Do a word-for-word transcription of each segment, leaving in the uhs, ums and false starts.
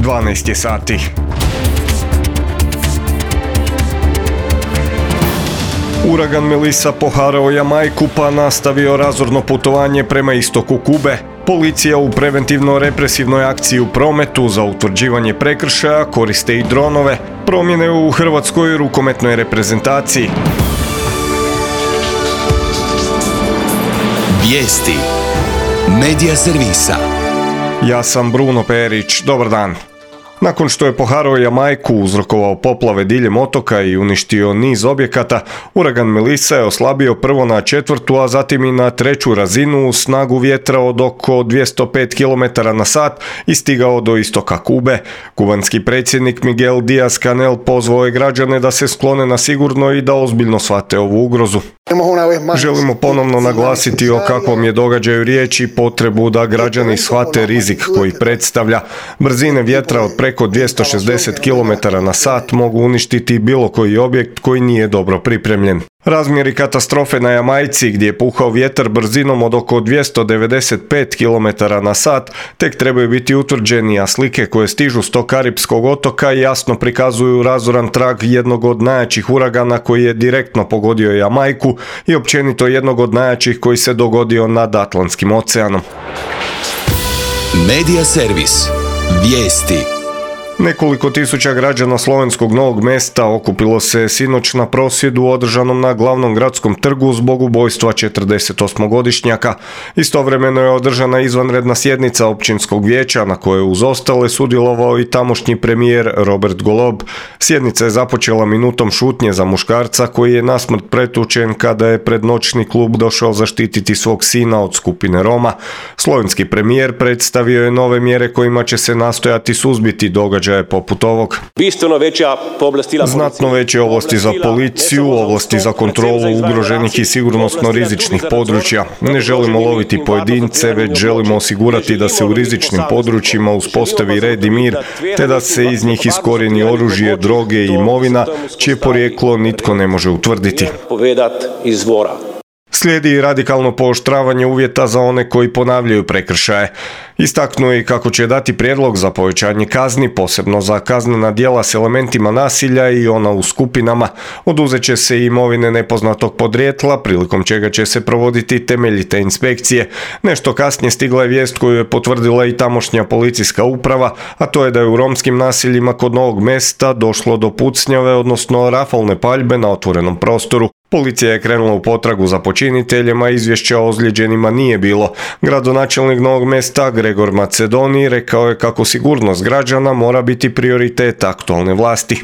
dvanaest je sati. Uragan Melissa poharao Jamajku pa nastavio razorno putovanje prema istoku Kube. Policija u preventivno-represivnoj akciji u prometu za utvrđivanje prekršaja koriste i dronove. Promjene u hrvatskoj rukometnoj reprezentaciji. Vijesti Medija servisa. Ja sam Bruno Perić, dobar dan. Nakon što je poharao Jamajku, uzrokovao poplave diljem otoka i uništio niz objekata, uragan Melissa je oslabio prvo na četvrtu, a zatim i na treću razinu snagu vjetra od oko dvjesto pet kilometara na sat i stigao do istoka Kube. Kubanski predsjednik Miguel Díaz-Canel pozvao je građane da se sklone na sigurno i da ozbiljno shvate ovu ugrozu. Želimo ponovno naglasiti o kakvom je događaju riječ i potrebu da građani shvate rizik koji predstavlja. Brzine vjetra od preko dvjesto šezdeset kilometara na sat mogu uništiti bilo koji objekt koji nije dobro pripremljen. Razmjeri katastrofe na Jamajci, gdje je puhao vjetar brzinom od oko dvjesto devedeset pet kilometara na sat, tek trebaju biti utvrđeni, a slike koje stižu s tog karipskog otoka jasno prikazuju razoran trag jednog od najjačih uragana koji je direktno pogodio Jamajku i općenito jednog od najjačih koji se dogodio nad Atlantskim oceanom. Medija servis. Vijesti. Nekoliko tisuća građana slovenskog Novog Mesta okupilo se sinoć na prosvjedu održanom na glavnom gradskom trgu zbog ubojstva četrdesetosmogodišnjaka. Istovremeno je održana izvanredna sjednica općinskog vijeća na kojoj uz ostale sudjelovao i tamošnji premijer Robert Golob. Sjednica je započela minutom šutnje za muškarca koji je nasmrt pretučen kada je pred noćni klub došao zaštititi svog sina od skupine Roma. Slovenski premijer predstavio je nove mjere kojima će se nastojati suzbiti događaj poput ovog. Znatno veće ovlasti za policiju, ovlasti za kontrolu ugroženih i sigurnosno rizičnih područja. Ne želimo loviti pojedince, već želimo osigurati da se u rizičnim područjima uspostavi red i mir, te da se iz njih iskorijeni oružje, droge i imovina, čije porijeklo nitko ne može utvrditi. Slijedi radikalno pooštravanje uvjeta za one koji ponavljaju prekršaje. Istaknuo je kako će dati prijedlog za povećanje kazni, posebno za kaznena djela s elementima nasilja i ona u skupinama. Oduzet će se i imovine nepoznatog podrijetla, prilikom čega će se provoditi temeljite inspekcije. Nešto kasnije stigla je vijest koju je potvrdila i tamošnja policijska uprava, a to je da je u romskim naseljima kod Novog Mesta došlo do pucnjave, odnosno rafalne paljbe na otvorenom prostoru. Policija je krenula u potragu za počiniteljima, izvješća o ozlijeđenima nije bilo. Gradonačelnik Novog Mesta Gregor Macedoni rekao je kako sigurnost građana mora biti prioritet aktualne vlasti.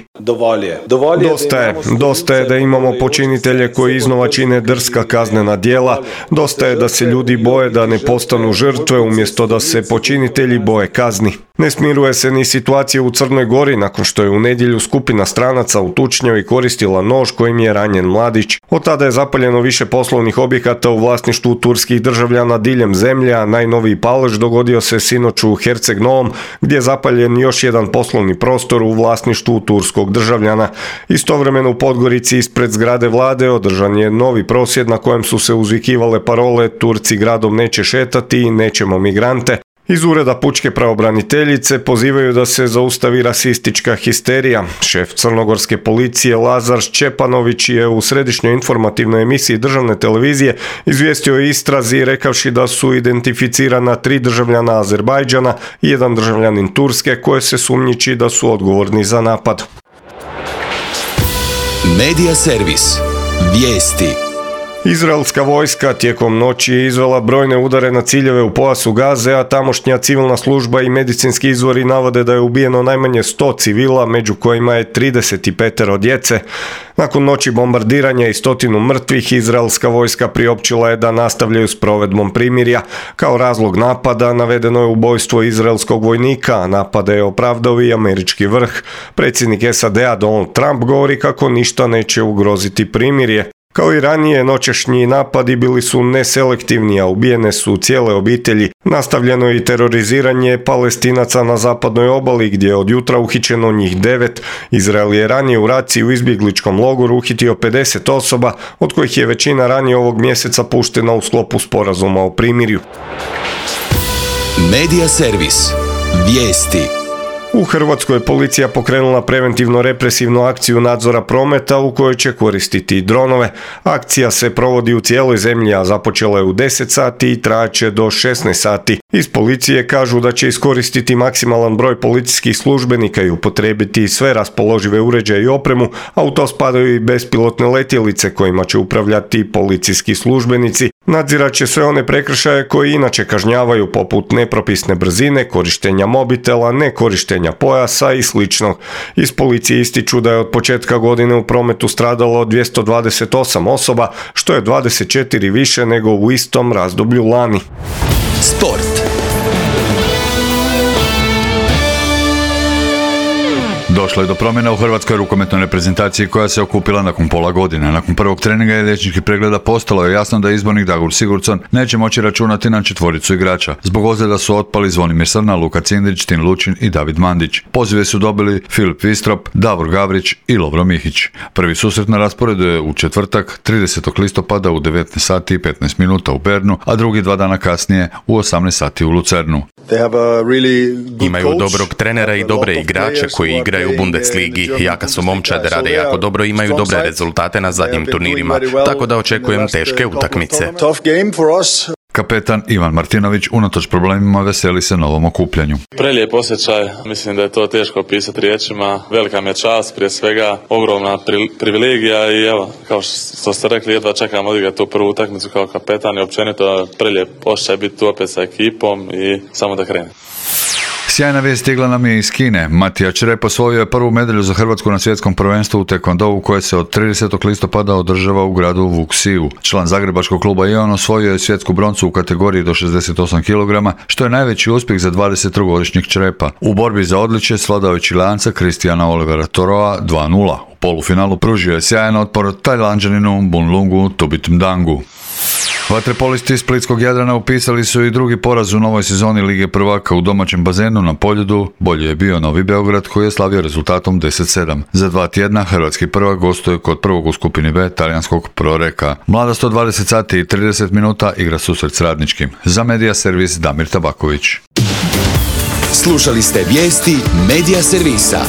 Dosta je, dosta je da imamo počinitelje koji iznova čine drska kaznena djela, dosta je da se ljudi boje da ne postanu žrtve umjesto da se počinitelji boje kazni. Ne smiruje se ni situacija u Crnoj Gori nakon što je u nedjelju skupina stranaca u tučnjavi koristila nož kojim je ranjen mladić. Od tada je zapaljeno više poslovnih objekata u vlasništvu turskih državljana diljem zemlje, a najnoviji palež dogodio se sinoć u Herceg Novom, gdje je zapaljen još jedan poslovni prostor u vlasništvu turskog državljana. Istovremeno u Podgorici ispred zgrade vlade održan je novi prosvjed na kojem su se uzvikivale parole "Turci gradom neće šetati" i "Nećemo migrante". Iz ureda pučke pravobraniteljice pozivaju da se zaustavi rasistička histerija. Šef crnogorske policije Lazar Šćepanović je u središnjoj informativnoj emisiji državne televizije izvijestio o istrazi rekavši da su identificirana tri državljana Azerbajdžana i jedan državljanin Turske koje se sumnjiči da su odgovorni za napad. Medija servis. Vijesti. Izraelska vojska tijekom noći je izvela brojne udare na ciljeve u pojasu Gaze, a tamošnja civilna služba i medicinski izvori navode da je ubijeno najmanje sto civila, među kojima je trideset pet djece. Nakon noći bombardiranja i stotinu mrtvih, izraelska vojska priopćila je da nastavljaju s provedbom primirja. Kao razlog napada navedeno je ubojstvo izraelskog vojnika, a napade je opravdao i američki vrh. Predsjednik S A D-a Donald Trump govori kako ništa neće ugroziti primirje. Kao i ranije, noćašnji napadi bili su neselektivni, a ubijene su cijele obitelji. Nastavljeno je i teroriziranje Palestinaca na zapadnoj obali, gdje je od jutra uhićeno njih devet. Izrael je ranije u raciji u izbjegličkom logoru uhitio pedeset osoba, od kojih je većina ranije ovog mjeseca puštena u sklopu sporazuma o primirju. Medija servis. Vijesti. U Hrvatskoj je policija pokrenula preventivno represivnu akciju nadzora prometa u kojoj će koristiti dronove. Akcija se provodi u cijeloj zemlji, a započela je u deset sati i trajaće do šesnaest sati. Iz policije kažu da će iskoristiti maksimalan broj policijskih službenika i upotrijebiti sve raspoložive uređaje i opremu, a u to spadaju i bespilotne letjelice kojima će upravljati policijski službenici. Nadzirat će sve one prekršaje koji inače kažnjavaju, poput nepropisne brzine, korištenja mobitela, nekorištenja pojasa i slično. Iz policije ističu da je od početka godine u prometu stradalo dvjesto dvadeset osam osoba, što je dvadeset četiri više nego u istom razdoblju lani. Sport. Došlo je do promjena u hrvatskoj rukometnoj reprezentaciji koja se okupila nakon pola godine. Nakon prvog treninga i liječničkih pregleda postalo je jasno da izbornik Dagur Sigurdsson neće moći računati na četvoricu igrača. Zbog ozljeda su otpali Zvonimir Srna, Luka Cindrić, Tin Lučin i David Mandić. Pozive su dobili Filip Vistrop, Davor Gavrić i Lovro Mihić. Prvi susret na rasporedu je u četvrtak, tridesetog listopada u devetnaest sati i petnaest minuta u Bernu, a drugi dva dana kasnije u osamnaest sati u Lucernu. Imaju dobrog trenera i dobre igrače koji igraju u Bundesligi. Jaka su momčade, rade jako dobro i imaju dobre rezultate na zadnjim turnirima, tako da očekujem teške utakmice. Kapetan Ivan Martinović unatoč problemima veseli se novom okupljanju. Prelijep osjećaj, mislim da je to teško opisati riječima. Velika mi je čast, prije svega ogromna pri, privilegija i evo, kao što ste rekli, jedva čekam odigrati tu prvu utakmicu kao kapetan i općenito prelijep osjećaj biti tu opet sa ekipom i samo da krene. Sjajna vijest stigla nam je iz Kine. Matija Črep osvojio je prvu medalju za Hrvatsku na svjetskom prvenstvu u tekvondou koje se od tridesetog listopada održava u gradu Wuxiu. Član zagrebačkog kluba Ion osvojio je svjetsku broncu u kategoriji do šezdeset osam kilograma, što je najveći uspjeh za dvadesettrogodišnjeg Črepa. U borbi za odličje svladao je Čileanca Kristijana Olivera Toroa dva nula. U polufinalu pružio je sjajan otpor Tajlanđaninu Bunlungu Tubitmdangu. Vaterpolisti Splitskog Jadrana upisali su i drugi poraz u novoj sezoni Lige prvaka u domaćem bazenu na Poljudu. Bolje je bio Novi Beograd koji je slavio rezultatom deset sedam. Za dva tjedna hrvatski prvak gostuje kod prvog u skupini B talijanskog Proreka. Mlada sto dvadeset sati i trideset minuta igra susret s Radničkim. Za Medija servis Damir Tabaković. Slušali ste vijesti Medija servisa.